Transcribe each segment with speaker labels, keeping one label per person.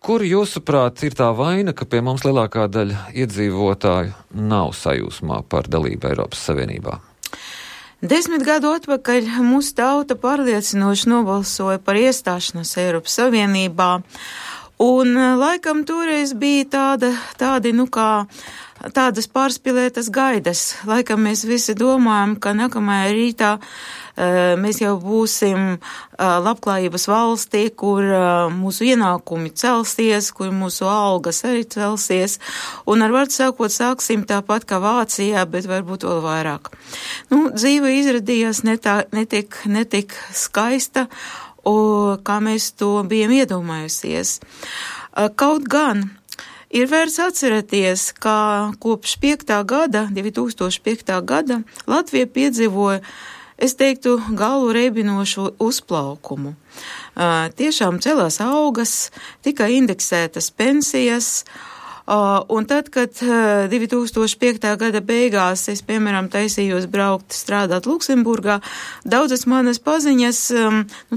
Speaker 1: Kur jūsuprāt ir tā vaina, ka pie mums lielākā daļa iedzīvotāju nav sajūsmā par dalību Eiropas Savienībā?
Speaker 2: 10 gadu atpakaļ mūsu tauta pārliecinoši nobalsoja par iestāšanos Eiropas Savienībā, un laikam toreiz bija tādas pārspīlētas gaidas. Laikam mēs visi domājam, ka nākamajā rītā mēs jau būsim labklājības valstī, kur mūsu ienākumi celsies, kur mūsu algas arī celsies, un ar vārdu sākot sāksim tāpat kā Vācijā, bet varbūt vēl vairāk. Dzīve izradījās netik skaista, kā mēs to bijām iedomājusies. Kaut gan ir vērts atcerēties, ka kopš 2005. gada Latvija piedzīvoja, es teiktu, galvu reibinošu uzplaukumu. Tiešām celās algas, tika indeksētas pensijas, un tad, kad 2005. gada beigās es, piemēram, taisījos braukt strādāt Luksemburgā, daudzas manas paziņas,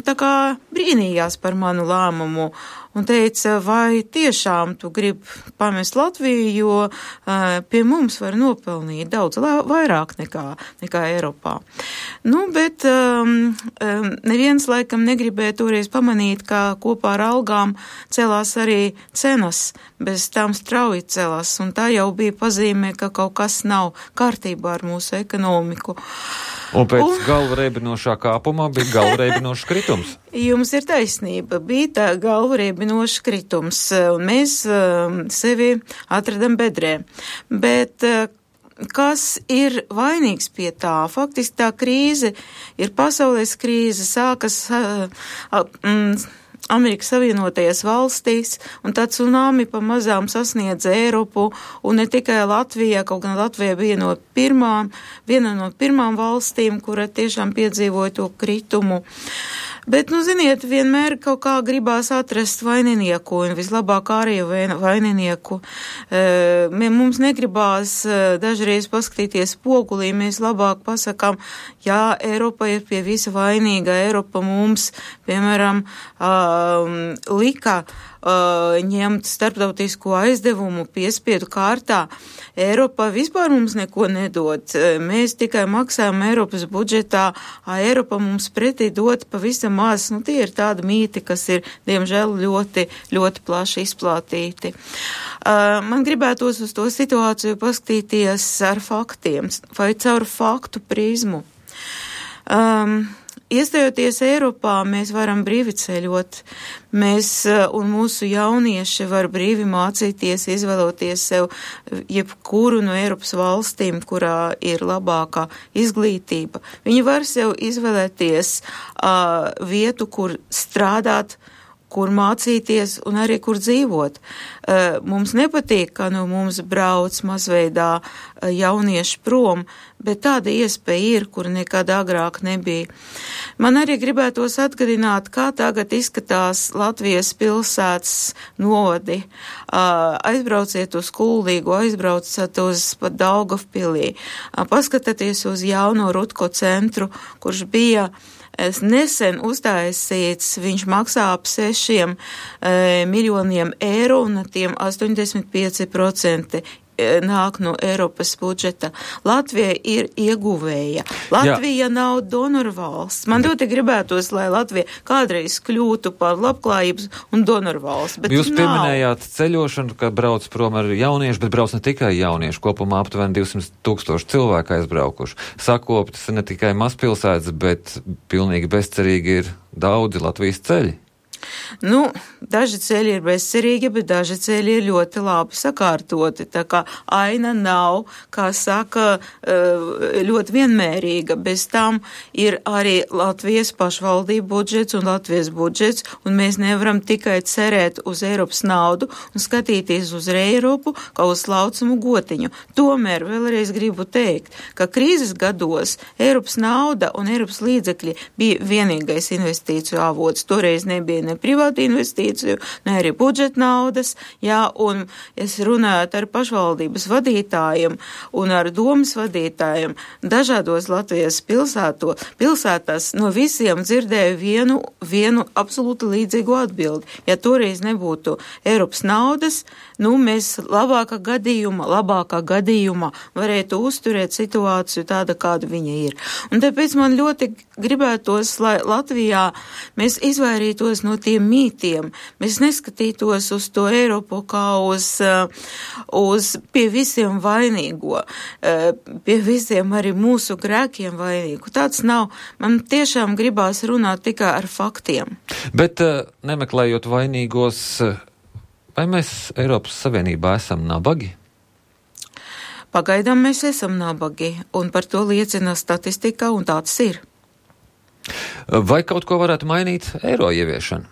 Speaker 2: tā kā brīnījās par manu lēmumu un teica, vai tiešām tu gribi pamest Latviju, jo pie mums var nopelnīt daudz vairāk nekā Eiropā. Bet neviens laikam negribēja toreiz pamanīt, ka kopā ar algām celās arī cenas, bez tām strauji celās, un tā jau bija pazīme, ka kaut kas nav kārtībā ar mūsu ekonomiku.
Speaker 1: Un pēc galvu reibinošā kāpumā bija galvu reibinošs kritums.
Speaker 2: Jums ir taisnība, bija tā galvu reibinošs kritums, un mēs sevi atradam bedrē. Bet kas ir vainīgs pie tā? Faktiski tā krīze ir pasaules krīze, sākas Amerikas Savienotajās valstīs, un tā tsunami pamazām sasniedza Eiropu, un ne tikai Latvijā, kaut gan Latvija bija viena no pirmām valstīm, kura tiešām piedzīvoja to kritumu. Bet, ziniet, vienmēr kaut kā gribās atrast vaininieku, un vislabāk arī vaininieku. Mums negribās dažreiz paskatīties spogulī, mēs labāk pasakām, jā, Eiropa ir pie visa vainīga, Eiropa mums, piemēram, lika ņemt starptautisko aizdevumu piespiedu kārtā. Eiropa vispār mums neko nedod. Mēs tikai maksājam Eiropas budžetā, Eiropa mums pretī dod pavisam maz. Tie ir tādi mīti, kas ir, diemžēl, ļoti, ļoti plaši izplatīti. Man gribētos uz to situāciju paskatīties ar faktiem vai caur faktu prizmu. Iestājoties Eiropā, mēs varam brīvi ceļot, un mūsu jaunieši var brīvi mācīties, izvēloties sev jebkuru no Eiropas valstīm, kurā ir labākā izglītība. Viņi var sev izvēlēties vietu, kur strādāt, kur mācīties un arī kur dzīvot. Mums nepatīk, ka mums brauc mazveidā jaunieši prom, bet tāda iespēja ir, kur nekad agrāk nebija. Man arī gribētos atgādināt, kā tagad izskatās Latvijas pilsētas novadi. Aizbrauciet uz Kuldīgu, aizbrauciet uz pat Daugavpilī, paskatieties uz jauno Rutko centru, kurš bija nesen uztaisīts, viņš maksā ap 6 miljoniem eiro, un tiem 85% nāk no Eiropas budžeta. Latvija ir ieguvēja. Latvija nav donoru valsts. Man ļoti gribētos, lai Latvija kādreiz kļūtu par labklājības un donoru valsts, bet
Speaker 1: Jūs pieminējāt ceļošanu, ka brauc prom ar jauniešu, bet brauc ne tikai jauniešu, kopumā aptuveni 200,000 cilvēku aizbraukuši. Sakoptas ne tikai mazpilsētas, bet pilnīgi bezcerīgi ir daudzi Latvijas ceļi.
Speaker 2: Daži ceļi ir bezcerīgi, bet daži ceļi ir ļoti labi sakārtoti. Tā kā aina nav, kā saka, ļoti vienmērīga. Bez tam ir arī Latvijas pašvaldību budžets un Latvijas budžets, un mēs nevaram tikai cerēt uz Eiropas naudu un skatīties uz Eiropu kā uz laucumu gotiņu. Tomēr vēlreiz gribu teikt, ka krīzes gados Eiropas nauda un Eiropas līdzekļi bija vienīgais investīciju avots. Toreiz nebija ne privātu investīciju, ne arī budžeta naudas, jā, un es runāju ar pašvaldības vadītājiem un ar domas vadītājiem dažādos Latvijas pilsētās no visiem dzirdēju vienu absolūti līdzīgu atbildi. Ja toreiz nebūtu Eiropas naudas, mēs labākā gadījumā varētu uzturēt situāciju tāda, kāda viņa ir. Un tāpēc man ļoti gribētos, lai Latvijā mēs izvairītos no tiem mītiem, mēs neskatītos uz to Eiropu kā uz pie visiem vainīgo, pie visiem arī mūsu grēkiem vainīgu. Tāds nav. Man tiešām gribās runāt tikai ar faktiem.
Speaker 1: Bet nemeklējot vainīgos, vai mēs Eiropas Savienībā esam nabagi?
Speaker 2: Pagaidām mēs esam nabagi, un par to liecina statistika, un tāds ir.
Speaker 1: Vai kaut ko varētu mainīt eiro ieviešana?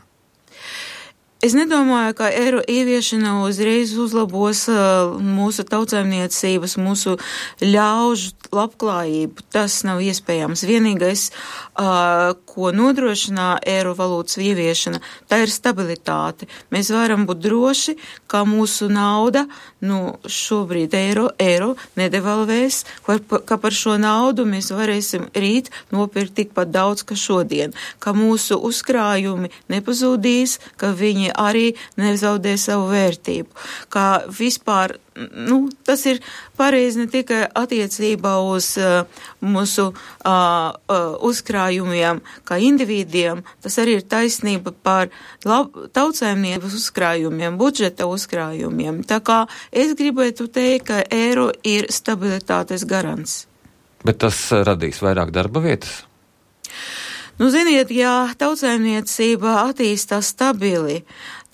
Speaker 2: Es nedomāju, ka eiro ieviešana uzreiz uzlabos mūsu tautsaimniecības, mūsu ļaužu labklājību. Tas nav iespējams. Vienīgais, ko nodrošinā eiro valūtas ieviešana, tā ir stabilitāte. Mēs varam būt droši, ka mūsu nauda, šobrīd eiro nedevalvēs, ka par šo naudu mēs varēsim rīt nopirkt tikpat daudz, ka šodien, ka mūsu uzkrājumi nepazūdīs, ka viņi arī nezaudē savu vērtību. Kā vispār, tas ir pareizi ne tikai attiecībā uz mūsu uzkrājumiem kā individiem, tas arī ir taisnība par tautsaimniecības uzkrājumiem, budžeta uzkrājumiem. Tā kā es gribētu teikt, ka eiro ir stabilitātes garants.
Speaker 1: Bet tas radīs vairāk darba vietas?
Speaker 2: Ziniet, ja tautsaimniecība attīstās stabili,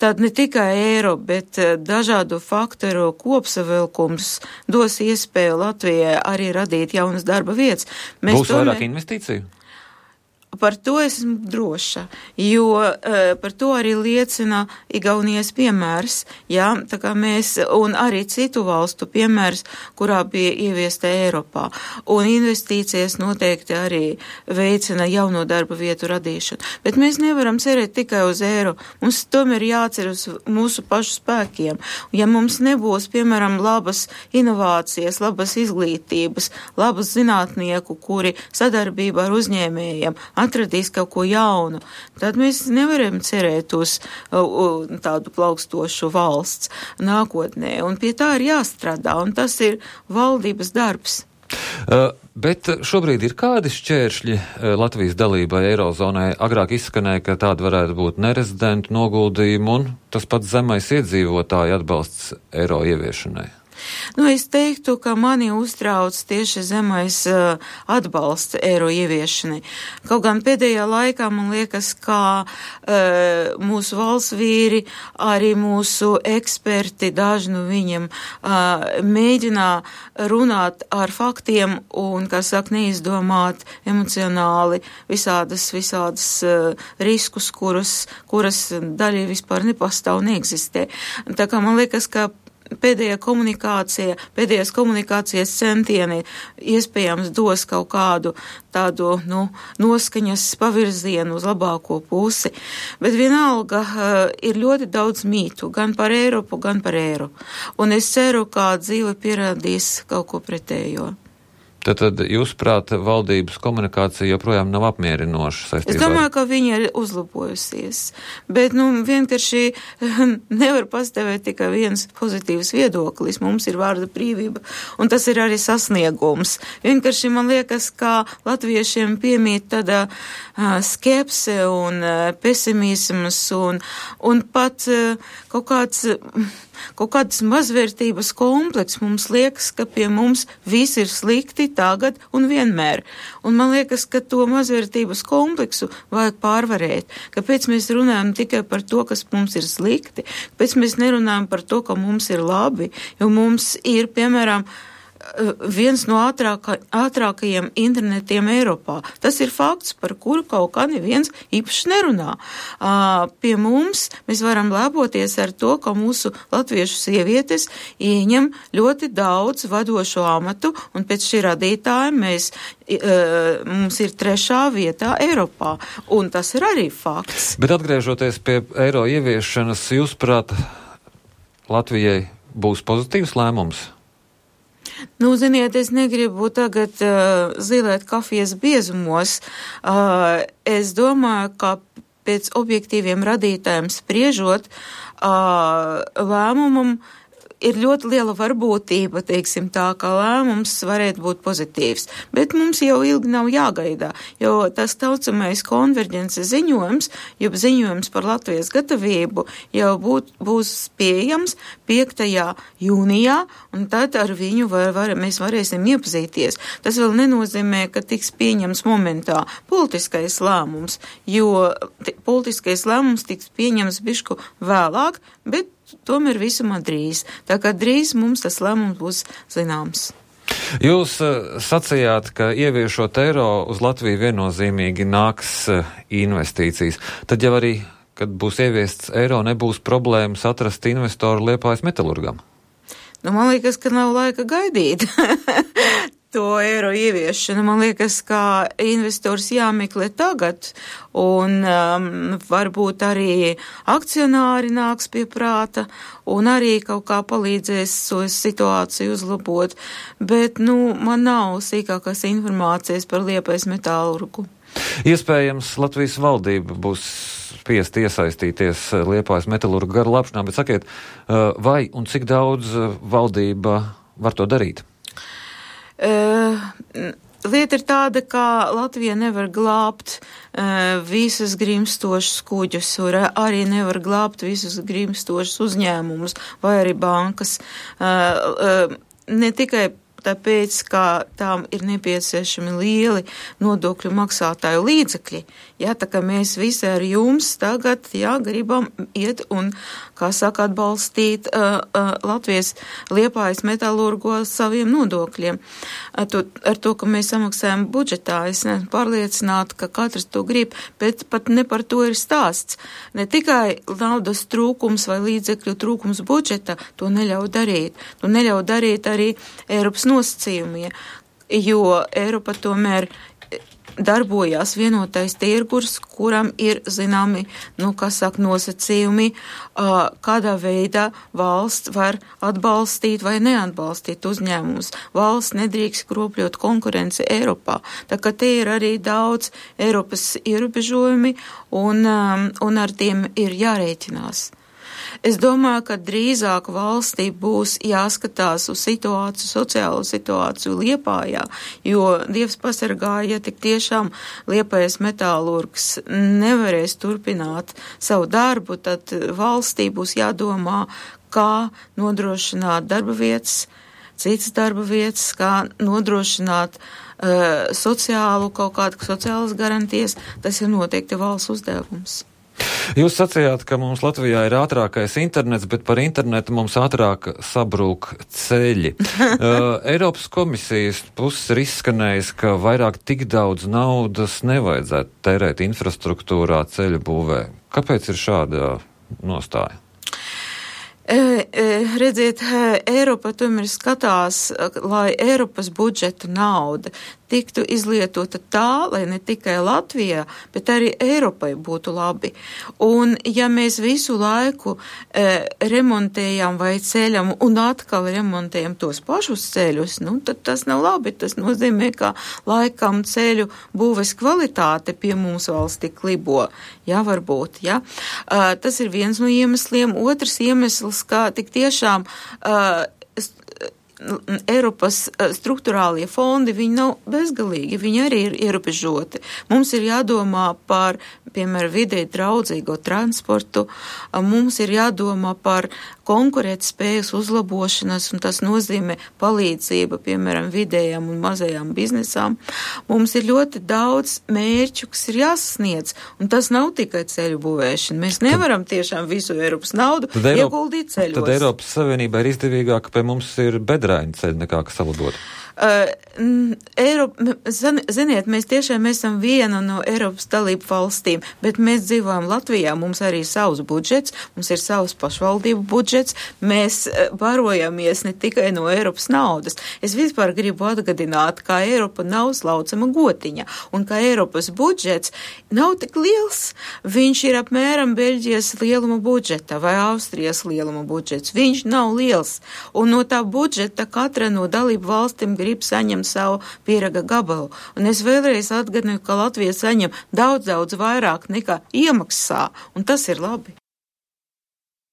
Speaker 2: tad ne tikai eiro, bet dažādu faktoru kopsavilkums dos iespēju Latvijai arī radīt jaunas darba vietas.
Speaker 1: Būs vairāk investīciju?
Speaker 2: Par to esmu droša, jo par to arī liecina Igaunijas piemērs, jā, tā kā mēs, un arī citu valstu piemērs, kurā bija ieviesta Eiropā. Un investīcijas noteikti arī veicina jauno darba vietu radīšanu. Bet mēs nevaram cerēt tikai uz eiro. Mums tomēr jācer uz mūsu pašu spēkiem. Ja mums nebūs, piemēram, labas inovācijas, labas izglītības, labas zinātnieku, kuri sadarbībā ar uzņēmējiem atradīs kaut ko jaunu, tad mēs nevaram cerēt uz tādu plaukstošu valsts nākotnē. Un pie tā ir jāstrādā, un tas ir valdības darbs.
Speaker 1: Bet šobrīd ir kādi šķēršļi Latvijas dalībai Eirozonai? Agrāk izskanēja, ka tāda varētu būt nerezidentu noguldījumi un tas pats zemais iedzīvotāju atbalsts eiro ieviešanai.
Speaker 2: Es teiktu, ka mani uztrauc tieši zemais atbalsts eiro ieviešanai. Kaut gan pēdējā laikā man liekas, ka mūsu valsts vīri, arī mūsu eksperti, daži no viņiem mēģinā runāt ar faktiem un, kā saka, neizdomāt emocionāli visādas riskus, kuras daļai vispār nepastāv, neeksistē. Tā kā man liekas, ka pēdējās komunikācijas centieni iespējams dos kaut kādu tādu, noskaņas pavirzienu uz labāko pusi. Bet vienalga ir ļoti daudz mītu, gan par Eiropu, gan par eiro. Un es ceru, ka dzīve pierādīs kaut ko pretējo.
Speaker 1: Tad jūsuprāt, valdības komunikācija joprojām nav apmierinoša saistībā?
Speaker 2: Es domāju, ka viņa ir uzlabojusies, bet vienkārši nevar pastāvēt tikai viens pozitīvs viedoklis. Mums ir vārda brīvība, un tas ir arī sasniegums. Vienkārši man liekas, ka latviešiem piemīt tāda skepse un pesimisms un pat kaut kāds mazvērtības kompleks. Mums liekas, ka pie mums viss ir slikti tagad un vienmēr. Un man liekas, ka to mazvērtības kompleksu vajag pārvarēt. Kāpēc mēs runājam tikai par to, kas mums ir slikti? Kāpēc mēs nerunājam par to, ka mums ir labi? Jo mums ir, piemēram, viens no ātrākajiem internetiem Eiropā. Tas ir fakts, par kuru kaut kā neviens īpaši nerunā. Pie mums mēs varam lepoties ar to, ka mūsu latviešu sievietes ieņem ļoti daudz vadošo amatu, un pēc šī radītāja mums ir 3. vietā Eiropā, un tas ir arī fakts.
Speaker 1: Bet atgriežoties pie eiro ieviešanas, jūsuprāt, Latvijai būs pozitīvs lēmums?
Speaker 2: Ziniet, es negribu tagad zilēt kafijas biezumos. Es domāju, ka pēc objektīviem radītājiem spriežot, lēmumam ir ļoti liela varbūtība, teiksim tā, ka lēmums varētu būt pozitīvs. Bet mums jau ilgi nav jāgaidā, jo tas taucamais konverģences ziņojums, jeb ziņojums par Latvijas gatavību, jau būs pieejams 5. jūnijā, un tad ar viņu mēs varēsim iepazīties. Tas vēl nenozīmē, ka tiks pieņems momentā politiskais lēmums, jo politiskais lēmums tiks pieņems bišku vēlāk, bet tomēr visumā drīz. Tā kā drīz mums tas lēmums būs zināms.
Speaker 1: Jūs sacījāt, ka ieviešot eiro uz Latviju viennozīmīgi nāks investīcijas. Tad jau arī, kad būs ieviests eiro, nebūs problēmas atrast investoru Liepājas metalurgam?
Speaker 2: Man liekas, ka nav laika gaidīt to eiro ieviešanu. Man liekas, ka investors jāmeklē tagad, un varbūt arī akcionāri nāks pie prāta, un arī kaut kā palīdzēs šo situāciju uzlabot. Bet, man nav sīkākās informācijas par Liepājas metālurgu.
Speaker 1: Iespējams, Latvijas valdība būs spiest iesaistīties Liepājas metalurgu garu labšanā, bet sakiet, vai un cik daudz valdība var to darīt?
Speaker 2: Lieta ir tāda, ka Latvija nevar glābt visus grimstošus kuģus, arī nevar glābt visus grimstošus uzņēmumus vai arī bankas. Ne tikai tāpēc, ka tām ir nepieciešami lieli nodokļu maksātāju līdzekļi. Tā kā mēs visi ar jums tagad, gribam iet un, kā saka, atbalstīt Latvijas Liepājas metalurgu saviem nodokļiem. Ar to, ka mēs samaksājam budžetā, es neesmu pārliecināta, ka katrs to grib, bet pat ne par to ir stāsts. Ne tikai naudas trūkums vai līdzekļu trūkums budžeta to neļauj darīt. To neļauj darīt arī Eiropas nosacījumie, jo Eiropa tomēr darbojās vienotais tirgus, kuram ir zināmi, nosacījumi, kādā veidā valsts var atbalstīt vai neatbalstīt uzņēmumus. Valsts nedrīkst kropļot konkurenci Eiropā. Tā kā te ir arī daudz Eiropas ierobežojumi un ar tiem ir jārēķinās. Es domāju, ka drīzāk valstī būs jāskatās uz sociālo situāciju Liepājā, jo Dievs pasargāja, ja tik tiešām Liepājas metālurgs nevarēs turpināt savu darbu, tad valstī būs jādomā, kā nodrošināt darba vietas, citas darba vietas, kā nodrošināt sociālas garantijas. Tas ir noteikti valsts uzdevums.
Speaker 1: Jūs sacījāt, ka mums Latvijā ir ātrākais internets, bet par internetu mums ātrāk sabrūk ceļi. Eiropas komisijas puses ir izskanējis, ka vairāk tik daudz naudas nevajadzētu tērēt infrastruktūrā ceļu būvē. Kāpēc ir šāda nostāja?
Speaker 2: Redziet, Eiropa tomēr skatās, lai Eiropas budžeta nauda tiktu izlietota tā, lai ne tikai Latvijā, bet arī Eiropai būtu labi. Un ja mēs visu laiku remontējam vai ceļam un atkal remontējam tos pašus ceļus, tad tas nav labi. Tas nozīmē, ka laikam ceļu būves kvalitāte pie mums valstī klibo. Varbūt. Tas ir viens no iemesliem. Otrs iemesls, kā tik tiešām Eiropas struktūrālie fondi, viņi nav bezgalīgi, viņi arī ir ierobežoti. Mums ir jādomā par, piemēram, videi draudzīgo transportu, mums ir jādomā par konkurētspējas uzlabošanas, un tas nozīmē palīdzība, piemēram, vidējām un mazajām biznesām. Mums ir ļoti daudz mērķu, kas ir jāsasniedz, un tas nav tikai ceļu būvēšana. Mēs nevaram tiešām visu Eiropas naudu ieguldīt ceļos.
Speaker 1: Tad Eiropas Savienībā ir izdevīgāk, ka pie mums ir bedra migraini ceļi nekā kas salabot?
Speaker 2: Ziniet, mēs esam viena no Eiropas dalību valstīm, bet mēs dzīvojam Latvijā, mums arī savs budžets, mums ir savs pašvaldību budžets, mēs barojamies ne tikai no Eiropas naudas. Es vispār gribu atgādināt, ka Eiropa nav slaucama gotiņa, un ka Eiropas budžets nav tik liels. Viņš ir apmēram Beļģijas lieluma budžeta vai Austrijas lieluma budžets. Viņš nav liels, un no tā budžeta katra no dalību valstīm grib saņemt savu pieraga gabalu. Un es vēlreiz atgādinu, ka Latvija saņem daudz vairāk nekā iemaksā, un tas ir labi.